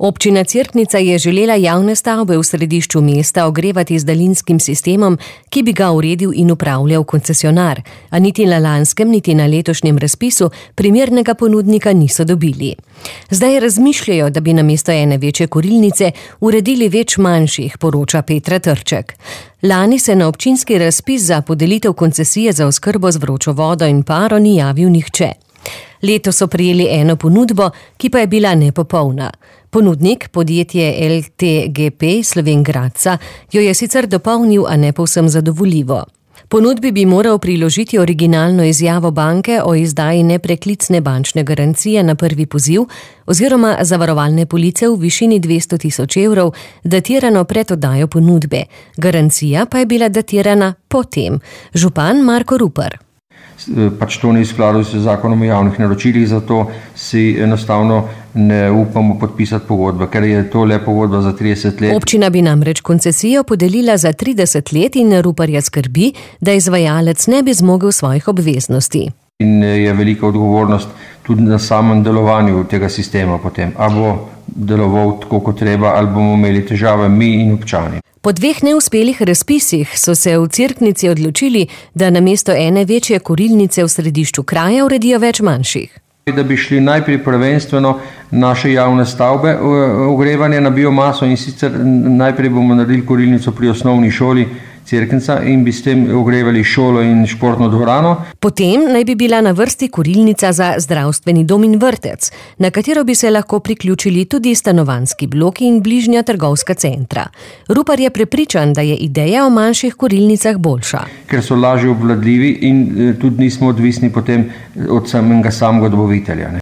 Občina Cerknica je želela javne stavbe v središču mesta ogrevati z daljinskim sistemom, ki bi ga uredil in upravljal koncesionar, a niti na lanskem, niti na letošnjem razpisu primernega ponudnika niso dobili. Zdaj razmišljajo, da bi namesto ene večje kurilnice uredili več manjših, poroča Petra Trček. Lani se na občinski razpis za podelitev koncesije za oskrbo z vročo vodo in paro ni javil nihče. Letos so prejeli eno ponudbo, ki pa je bila nepopolna. Ponudnik, podjetje LTGP Slovenj Gradca, jo je sicer dopolnil, a ne povsem zadovoljivo. Ponudbi bi moral priložiti originalno izjavo banke o izdaji nepreklicne bančne garancije na prvi poziv oziroma zavarovalne police v višini 200 000 evrov, datirano pred oddajo ponudbe. Garancija pa je bila datirana potem. Župan Marko Rupar. Pač to ni v skladu z zakonom o javnih naročilih, zato si enostavno ne upamo podpisati pogodbe, ker je to le pogodba za 30 let. Občina bi namreč koncesijo podelila za 30 let in Ruparja skrbi, da izvajalec ne bi zmogel svojih obveznosti. In je velika odgovornost tudi na samem delovanju tega sistema potem. A bo deloval tako, kot treba, ali bomo imeli težave mi in občani. Po 2 neuspelih razpisih so se v Cerknici odločili, da namesto ene večje kurilnice v središču kraja uredijo več manjših. Da bi šli najprej prvenstveno naše javne stavbe ogrevanje na biomaso in sicer najprej bomo naredili kurilnico pri osnovni šoli Cerknica in bi s tem ogrevali šolo in športno dvorano. Potem naj bi bila na vrsti kurilnica za zdravstveni dom in vrtec, na katero bi se lahko priključili tudi stanovanjski bloki in bližnja trgovska centra. Rupar je prepričan, da je ideja o manjših kurilnicah boljša. Ker so lažje obvladljivi in tudi nismo odvisni potem od samega dobavitelja.